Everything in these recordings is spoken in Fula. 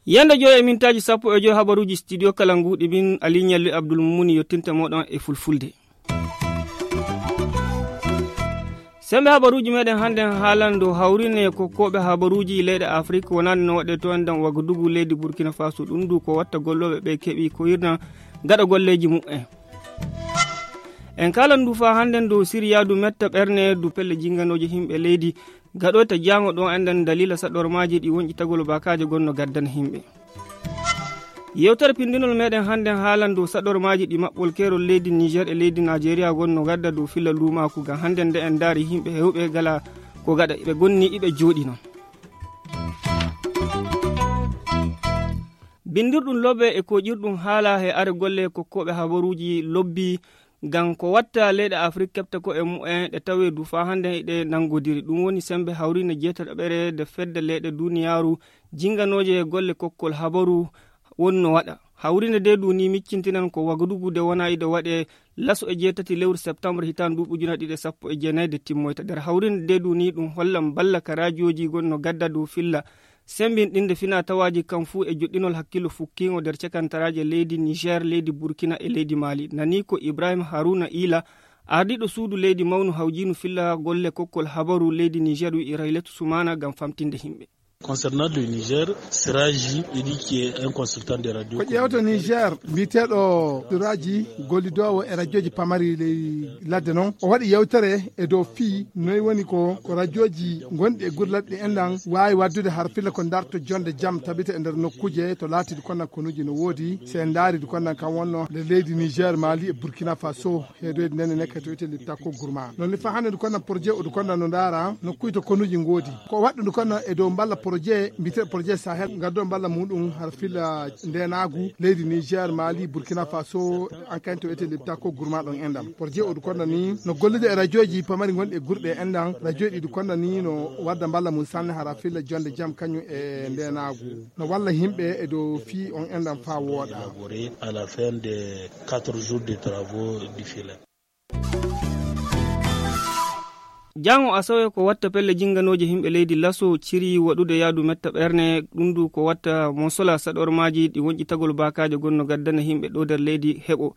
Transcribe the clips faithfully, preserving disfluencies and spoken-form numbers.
Yande joyi e mintaaji sappo e joyi habaruuji studio kala nguuɗi min Aliou Niallu Abdoul Mumuni yottinta moɗon e fulfulde. Sembe habaruuji meɗen hannden haalando hawrine ko koɓe habaruuji leyɗe Afrik wonande no waɗe to enɗan Wagadugu leydi Burkina Faso ɗum du ko watta gollooɓe ɓe keɓi ko hirna gaɗa golleeji muɓɓen. En kaalan du faa hannden dow siryaadu metta ɓerne du pelle jinganooji himɓe leydi gaɗoyta jaango ɗo enɗan daliila saɗormaaji ɗi wonƴitagol bakaaje gonno gaddana himɓe. Yewtere pindinol meɗen hannden haalan dow saɗormaaji ɗi maɓɓol keerol leydi Niger e leydi Najeriya gonno gadda dow filla luumaaku ngam hannden nde en ndaari himɓe hewɓe gala ko gaɗa ɓe gonni iɓe jooɗi non. Bindirɗum lobe e koƴirɗum haala he are golle kokkooɓe habaruuji lobbi ngam ko watta leyɗe Afrik keɓta ko e mu'en ɗe tawee du faa hannden eɗe nanngodiri. Ɗum woni semmbe hawriinde jeetataɓere nde fedde leyɗe duniyaaru jinnganooje e golle kokkol habaru wonno waɗa. Hawriinde nde du ni miccintinan ko Wagadugu nde wona iɗe waɗe laso e jeetati lewru septembre hitaande ndu ujunere ɗiɗi e sappo e jeenayi nde timmoyta. Nder hawriinde nde du ni ɗum hollan balla ka raajooji gonno gadda dow filla semmbinɗinde fina tawaaji kan fuu e joɗɗinol hakkillo fukkiingo nder cekantaraaje leydi Niger, leydi Burkina e leydi Mali. Nani ko Ibrahim Haruna Ila, ardiiɗo suudu leydi mawnu hawjiinu filla golle kokkol habaru leydi Niger wi'i Rayletu Sumana ngam famtinde himɓe. Concernant le Niger, Siraji, il dit qu'il est un consultant de radio. Ko ƴeewta Niger, mbiyeteeɗo Siraji, gollidoowo e rajooji pamari ley ladde non. O waɗi yewtere e dow fii noy woni ko, ko rajooji gonɗi e gure ladde en ɗan waawi waddude har filla ko darto jonde jam tabita e nder nokkuuje to laatidi konnan konuuji no woodi. Se en ndaaridi konnan kan wonno nde leydi Niger, Mali e Burkina Faso. Heedoyde nden e nekke to wiyetee Liptako Gourma. Non ni faa hannde ndu konnan projet o ndu konnan no ndaara nokkuuje to konuuji ngoodi. Ko waɗɗu ndu konnan e dow mballa projet mbiyeteeɗo projet Sahel ngaddo mballa muɗum har filla ndeenaagu leydi Niger, Mali, Burkina Faso, an kan to wiyetee Liptako Gourma ɗon en ɗam. Projet o ndu konnan ni no gollude e rajooji pamari gonɗi e gure ɗe en ɗam. Rajooji ɗi ndu konnan ni no wadda mballa mum sanne har filla jonde jam kañum e ndeenaagu. No walla himɓe e dow fii on en ɗam faa wooɗa. Élaboré à la fin des quatre jours de travaux du filet. Jango asawe ko watta pelle jinganooje himɓe leydi laso ciri waɗude yaadu metta ɓerne ɗum du ko watta mo sola saɗormaaji ɗi wonƴitagol baakaaje gonno gaddana himɓe ɗo nder leydi heɓo.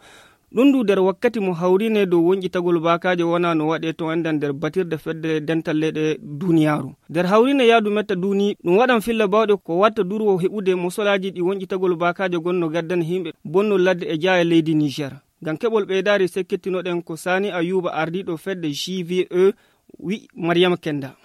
Ɗum du nder wakkati mo hawrine dow wonƴitagol baakaaje wona no waɗe to enɗan nder batirde fedde dental leyɗe duniyaaru. Nder hawrine yaadu metta duni ɗum waɗan filla bawɗe ko watta durwo heɓude mo solaaji ɗi wonƴitagol baakaaje gonno gaddana himɓe bonno ladde e jaaya leydi Niger. Ngam keɓol ɓeydaari sekkettinoɗen ko Sani Ayuba ardiiɗo fedde G V E wi'i Mariama Kenda.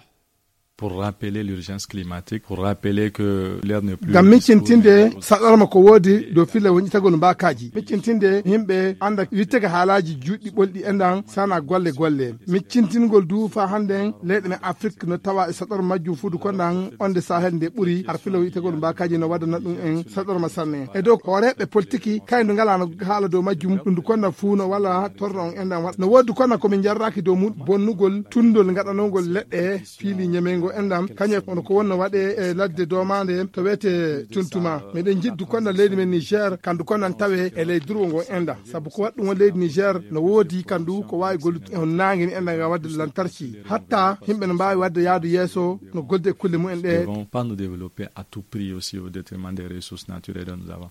Pour rappeler l'urgence climatique, pour rappeler que l'heure n'est plus ngam miccintinde saɗorma ko woodi dow filla wonƴitagol mbaakaaji, miccintinde yimɓe annda wittege haalaaji juuɗɗi ɓolɗi enɗan sana golle golle, miccintingol du faa hannden leyɗe men Afrik no tawa e saɗorma majjum fuudu konɗan onde Sahel nde ɓuri har filla wonƴitagol mbaakaaji no waddana ɗum en saɗorma sanne. E dow hooreeɓe politiki kay ndu ngalaa no haala dow majjum ɗum ndu konɗan fuu no wala torno on enɗan waɗa no woodi konɗan ko min jarraaki dow mum bonnugol tundol ngaɗanongol leɗɗe fiili ñemeyngol enɗam kañum e kono ko wonno waɗe e ladde domaande to wiyetee Tuntuma. Miɗen njiɗdu konɗan leydi men Niger kandu konɗan tawe e ley durwo ngo enɗam sabu ko waɗɗum on leydi Niger no woodi kandu ko waawi gollude on naange ni enɗam ngam waɗde lantarki hatta yimɓe no mbaawi waɗde yaadu yeeso no gollude e kulle mumen ɗe. Devons pas nous développer à tout prix aussi au détriment des ressources naturelles dont nous avons.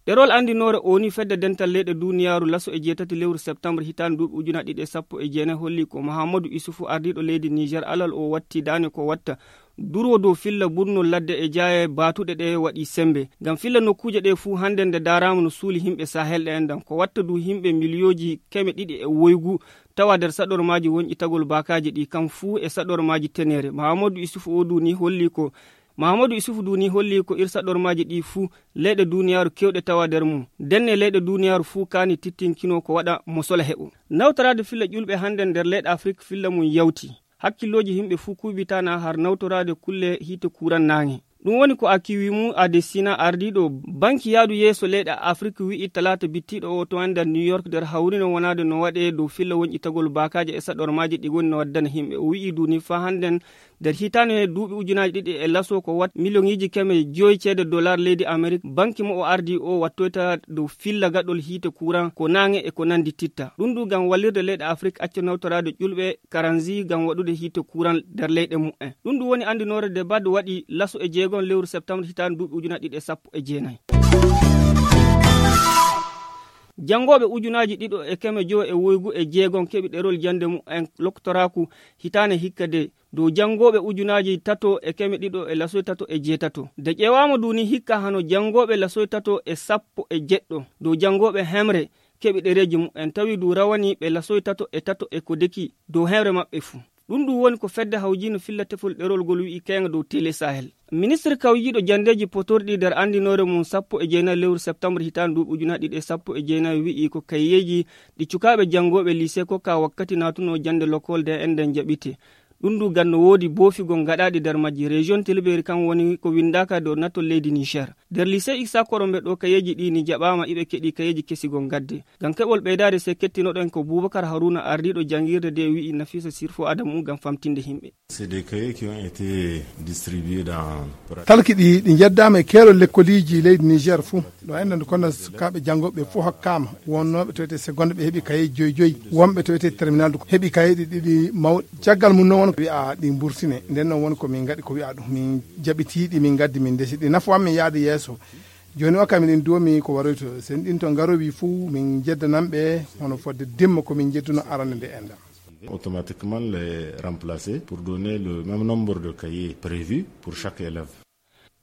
Ɗerol anndinoore O N U fedde dental leyɗe duniyaaru laso e jeetati lewru septembre hitaande duuɓi ujunaaji ɗiɗi e sappo e jeenayi holli ko Mahamadou Issoufou ardiiɗo leydi Niger alal o watti daane ko watta durwo dow filla burnol ladde e jaaye baatuɗe ɗe waɗi sembe ngam filla nokkuuje ɗe fuu hannde nde daaraama no suuli himɓe Sahel ɗe enɗan ko watta du himɓe miliyooji keme ɗiɗi e woygu tawa nder saɗormaaji wonƴitagol baakaaji ɗi kam fuu e saɗormaaji teneere. Mahamadou Issoufou o du ni holli ko Mahamadou Issoufou du ni holli ko ir saɗormaaji ɗi fuu leyɗe duniyaaru kewɗe tawa nder mum. Ndenne leyɗe duniyaaru fuu kaani tittinkino ko waɗa mo sola heɓo. Nawtoraade filla ƴulɓe hannde nder leyɗe Afrik filla mum yawti. Hakkillooji yimɓe fuu kuuɓitaana har nawtoraade kulle hiite kuuran naange. Ɗum woni ko Akiwimu Adesina ardiiɗo banki yaadu yeeso leyɗe Afrik wi'i talaata bittiiɗo o to ender New York nder hawrino wonaade no waɗe dow filla wonƴitagol baakaaje e saɗormaaji ɗi woni no waddana yimɓe. O wi'i du ni faa hannden Nder hitaande duuɓi ujunaaji ɗiɗi e laso ko wat miliyoŋiiji keme joyi ceede dollar leydi Amerik, banki mo o ardi o wattoyta dow filla gaɗol hiite kuran ko naange e ko nandi titta. Ɗum ɗum ngam wallirde leyɗe Afrik acca nawtoraade ƴulɓe karanzi ngam waɗude hiite kuran nder leyɗe mumen. Ɗum ɗum woni anndinoore nde Bad waɗi laso e jeegon lewru septembre hitaande duuɓi ujunaaji ɗiɗi e sappo e jeenayi. Janngooɓe ujunaaji ɗiɗo e keme jowo e woygu e jeegon keɓi ɗerol jannde mumen loktoraaku hitaande hikka de dow janngooɓe ujunaaji tato e keme ɗiɗo e lasoy tato e jeetato. De ƴeewaama du ni hikka hano janngooɓe lasoy tato e sappo e jeɗɗo dow janngooɓe hemre keɓi ɗereeji mumen tawi du rawani ɓe lasoy tato e tato e ko deki dow hemre maɓɓe fuu. Ɗum ɗum woni ko fedde hawjiino filla tefol ɗerol ngol wi'i keeŋa dow Tele Sahel. Ministre kawjiiɗo janndeeji potorɗi nder anndinoore mum sappo e jeenayi lewru septembre hitaande duuɓi ujunaaji ɗiɗi e sappo e jeenayi wi'i ko kayeeji ɗi cukaaɓe janngooɓe lycée kokka wakkati naatunoo jannde lokol de enɗan jaɓite. Ɗum ɗum ngam no woodi boofigol gaɗaaɗi nder majji. Région Tilberi kan woni ko winndaaka dow nattol leydi Niger. Nder lycée Issa Korombe ɗo kayeeji ɗi ni jaɓaama iɓe keɗi kayeeji kesi gol ngadde. Ngam keɓol ɓeydaade se kettinoɗen ko Boubacar Haruna ardiiɗo janngirde de wi'i Nafisa Sirfo Adamu ngam famtinde himɓe. C'est des cahiers qui ont été distribués dans Talki ɗi, ɗi njeddaama e keerol lekkoliiji leydi Niger fuu. Ɗo enɗan du konda sukaaɓe janngooɓe fuu hokkaama. Wonnooɓe to wiyetee seconde ɓe heɓi kaye joyi joyi. Wonɓe to wiyetee terminal du heɓi kayeeji ɗiɗi mawɗi. Caggal mum noon won ko wi'a ɗi mburtine. Nden noon won ko min ngaɗi ko wi'a ɗum. Min jaɓitii ɗi, min ngaddi, min ndesi ɗi. Nafowan min yaade yeeso. Jooni o kam min duwomi ko waroyto. Sen ɗin to ngarowi fuu min jeddanan ɓe hono fodde dimma ko min jedduno arande nde enɗan. Automatiquement les remplacer pour donner le même nombre de cahiers prévus pour chaque élève.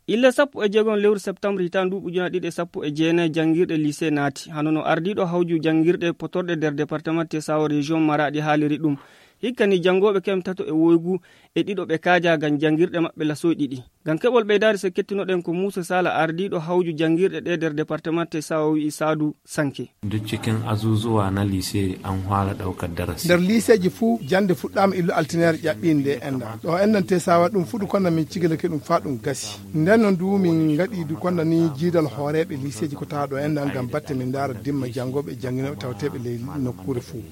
Ille sappo e jeegom lewru septembre hitaande ndu ujunaaji ɗiɗi e sappo e jeenayi janngirɗe lycée naati. Hano no ardiiɗo hawju janngirɗe potorɗe nder département Tesawa région Maradi haaliri ɗum. Hikka ni janngooɓe kem tato e woygu e ɗiɗo ɓe kaaja ngam janngirɗe maɓɓe lasoy ɗiɗi. Ngam keɓol ɓeydaade se kettinoɗen ko Muusa Sala ardiiɗo hawju janngirɗe ɗe nder département Tesawa wi'i Saadu Sanke. Duk cikin azuzuwa na lise an fara ɗaukar darasi. Nder liseeji fuu jannde fuɗɗaama illu altineere ƴaɓɓiinde enɗan. Ɗo enɗan Tesawa ɗum fuɗu konda min cigilake ɗum faa ɗum gasi. Nden non du min ngaɗi du konda ni jiidal hooreeɓe liseeji ko tawa ɗo enɗan ngam batte min ndaara dimma janngooɓe e jannginooɓe tawteeɓe ley nokkuure fuu.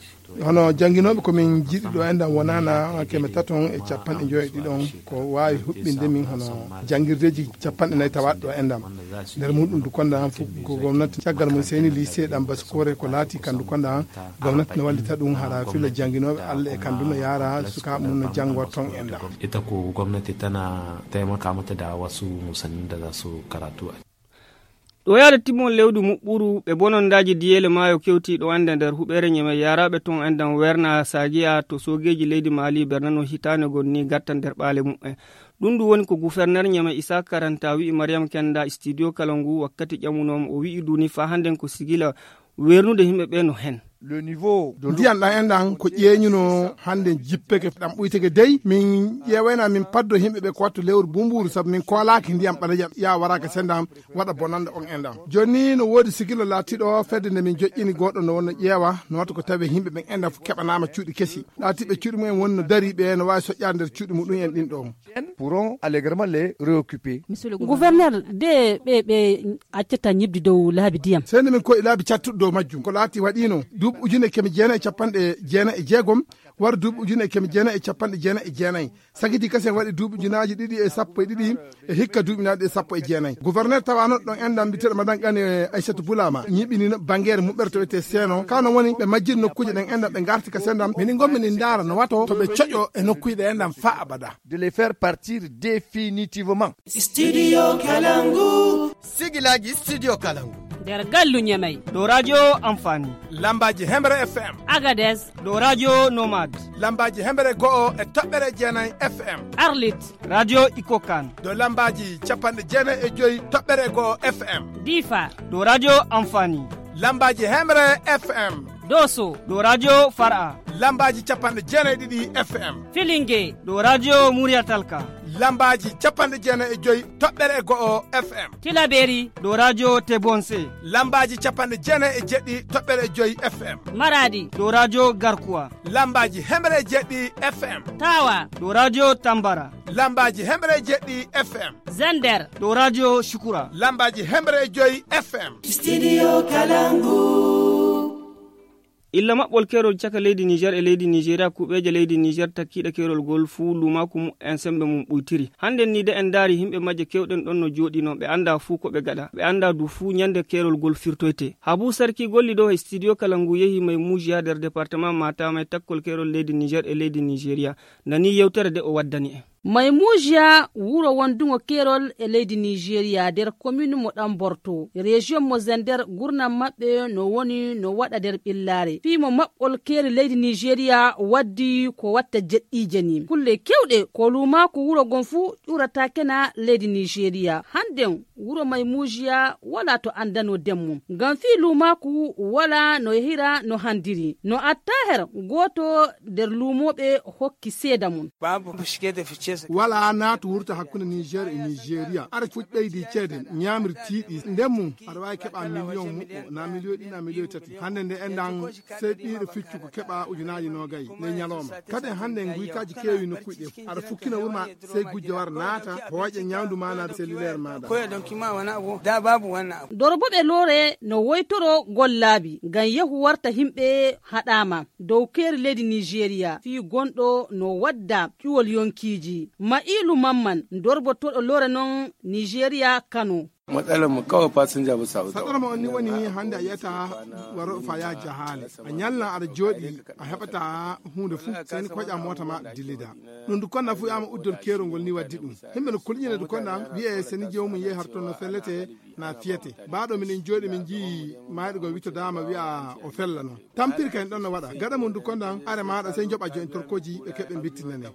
Hono jannginooɓe ko min jiɗi ɗo enɗan wonaana keme taton e capanɗe njoyo e ɗiɗon ko waawi huɓɓinde min hono janngirdeeji capanɗe nayi tawaaɗe ɗo enɗan. Nder muɗum du konda an fof ko gomnati caggal mum seyni lycée ɗam Basikore ko laati kan du konda an gomnati no wallita ɗum hara filla jannginooɓe Allah e kan du no yaara sukaaɓe mum no janngoo ton enɗan. Ita ko gwamnati tana taimaka mata da wasu musannin da za su karatu a Ɗo yaade timmol lewdi muɓɓuru ɓe bonondaaji diyeele maayo kewti ɗo ende nder huɓeere Ñeme yaaraaɓe ton enɗan werna Sagiya to soogeeji leydi Maali bernano hitaande gon ni gatta nder ɓaale muɓɓen. Ɗum ndu woni ko guferner Ñeme Isa Karanta wi'i Mariam Kenda studio kala ngu wakkati ƴamunoomo o wi'i duni faa hannden ko sigila wernude yimɓe ɓe no hen. Ndiyam ɗam enɗan ko ƴeeñuno hannden jippeke ɗam ɓuyteke dey min ƴeewayna min paddo yimɓe ɓe ko wattu lewru bumbuuru sabu min koolaaki ndiyam ɓaleƴam ya waraaka sendam waɗa bonannde on enɗan. Jooni ni no woodi sikilo laatiiɗo fedde nde min joƴƴini gooɗo no wonno ƴeewa no wata ko tawi yimɓe ɓen enɗan fof keɓanaama cuuɗi kesi. Laatiiɓe cuuɗi mumen woni no darii ɓe no waawi soƴƴaade nder cuuɗi muɗum en ɗin ɗon. Pourront allègrement les réoccuper. Gouverneur de ɓe ɓe accata ñibdi dow laabi diyam. Sey nde min koyi laabi cattuɗi dow majjum ko laati waɗiino duuɓi ujune keme jeenayi e capanɗe jeenayi e jeegom wara duuɓi ujune keme jeenayi e capanɗe jeenayi e jeenayi. Sagiti kasen waɗi duuɓi ujunaaji ɗiɗi e sappo e ɗiɗi e hikka duuɓi naaɗi e sappo e jeenayi. Gouverneur tawaano ɗon enɗan mbiteɗo madan qani e aissatu bulama ñiɓinino bangere muɓɓere to wiyetee seeno kano woni ɓe majjiri nokkuuje ɗen enɗan ɓe ngarti ka sendam mini gommi ni ndaara no wato to ɓe coƴo e nokkuuje ɗe enɗan fa abada. De les faire partir définitivement. Studio Kalangu. Sigilaaji Studio Kalangu. Nder gallu Ñamey. Dow radio Amfani. Lambaaji Hemre F M. Agades. Dow radio Nomad. Lambaaji Hemre go'o e toɓɓere jeenayi F M. Arlit. Radio Ikokan. Dow lambaaji capanɗe jeenayi e joyi toɓɓere go'o F M. Difa. Dow radio Amfani. Lambaaji Hemre F M. Doso. Dow radio Far'a. Lambaaji capanɗe jeenayi ɗiɗi F M. Filinge. Dow radio Murya Talka. Lambaaji capanɗe jeenayi e joyi toɓɓere e go'o F M. Tilaberi. Dow radio Tebonse. Lambaaji capanɗe jeenayi e jeɗɗi toɓɓere e joyi F M. Maradi. Dow radio Garkuwa. Lambaaji hemre e jeɗɗi F M. Tawa. Dow radio Tambara. Lambaaji hemre e jeɗɗi F M. Zender. Dow radio Shukura. Lambaaji hemre e joyi F M. Studio Kalangu. Illa maɓɓol keerol caka leydi Niijeer e leydi Niijeeriya, kuuɓeeje leydi Niijeer takkiiɗe keerol ngol fuu luumaaku mumen semmbe mum ɓuytiri. Hannden nii de en ndaari yimɓe majje keewɗen ɗon no jooɗinoo, ɓe anndaa fuu ko ɓe ngaɗa, ɓe anndaa du fuu nyannde keerol ngol firtoytee. Habuu Sarki golli ɗo e studio kala ngu yehi May Muujiya nder departement Matam e takkol keerol leydi Niijeer e leydi Niijeeriya, nanii yewtere de o waddani en. May Muujiya wuro wondungo keerol e leydi Niijeeriya nder komin mo Ɗanborto, rejiyon mo Zender, gurnam maɓɓe no woni no waɗa nder ɓillaare. Fii mo maɓɓol keeri leydi Niijeeriya waddi ko watta jeɗɗiije nii. Kulle keewɗe ko luumaaku wuro ngon fuu ƴurata kena leydi Niijeeriya. Hannden wuro May Muujiya walaa to anndanoo ndeen mum. Ngam fii luumaaku walaa no yehira no handiri. No attaher gooto nder luumooɓe hokki seeda mum. Walaa naatu wurta hakkunde Niijeer e Niijeeriya. Ara fuɗ ɓeydi ceede ñaamirtiiɗi. Ndeen mum aɗa waawi keɓa miliyoŋ muɓɓo, na miliyoŋ ɗiɗi, na miliyoŋ tati. Hannde nde enɗan sey ɓiiɗo ficcu ko keɓa ujunaaji noogay ley ñalooma. Kadi hannde nguytaaji keewi nokkuuji ɗe. Aɗa fukkina wuro ma sey gujjo war naata hooƴa ñawndu ma naata selluleer maaɗa. Dorboɓe loore no woytoro gollaabi ngam yehu warta yimɓe haɗaama dow keeri leydi Niijeeriya fii gonɗo no wadda ƴuwol yonkiiji. Ma'iilu Mamman, dorbotooɗo loore non Niijeeriya Kano. Matsalar mu kawai fasinja ba sa. Saɗɗorma on ni woni hannde a yiyata waro faya jahaale. A ñalla aɗa jooɗi a heɓata huunde fuu seni koƴa moota ma dillida. Ɗum du konda fuu yama uddol keerol ngol ni waddi ɗum. Yimɓe no kulƴina du konda wi'e seni jewmum yehi har toon no fellete na fiyete. Baaɗo minen jooɗi min njii mayɗo goo wittodaama wi'a o fella noon. Tampiri kay ɗon no waɗa. Gaɗa mum du konda are maaɗa sey njoɓa jo'in torkooji ɓe keɓɓe mbittinane.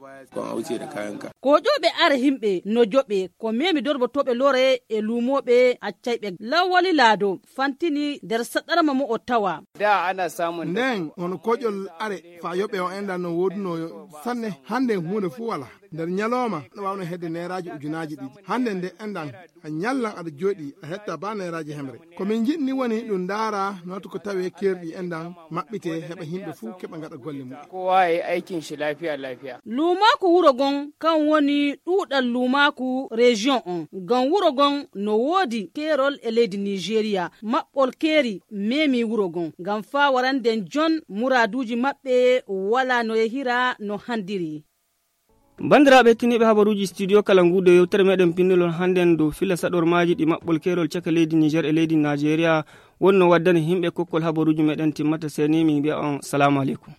Ko ƴooɓe are yimɓe no joɓe ko memi dorbotooɓe loore e luumooɓe accayɓe. Lawwali Laado fantini nder saɗɗarma mo o tawa. Ndeen hono koƴol are faa yoɓe o enɗan no woodunoo sanne. Hannde huunde fuu walaa. Nder ñalooma no waawno hedde neeraaji ujunaaji ɗiɗi. Hannde nde enɗan a ñallan aɗa jooɗi a hetta baa neeraaji hemre. Ko min njiɗni woni ɗum ndaara nooto ko tawee keerɗi enɗan maɓɓitee heɓa yimɓe fuu keɓa ngaɗa golle mum. Kowa ya yi aikin shi lafiya lafiya. Luumaaku wuro ngon kan woni ɗuuɗal luumaaku rejiyon on. Ngam wuro ngon no woodi keerol e leydi Niijeeriya. Maɓɓol keeri memi wuro ngon ngam faa warande jon muraaduuji maɓɓe walaa no yehira no handiri. Banndiraaɓe hettiniiɓe habaruuji studio kala ngu de yewtere meɗen pinndolon hannden dow filla saɗormaaji ɗi maɓɓol keerol caka leydi Niijeer e leydi Naajeeriya wonno waddani yimɓe kokkol habaruuji meɗen timmata seni min mbi'a on salaamu aleykum.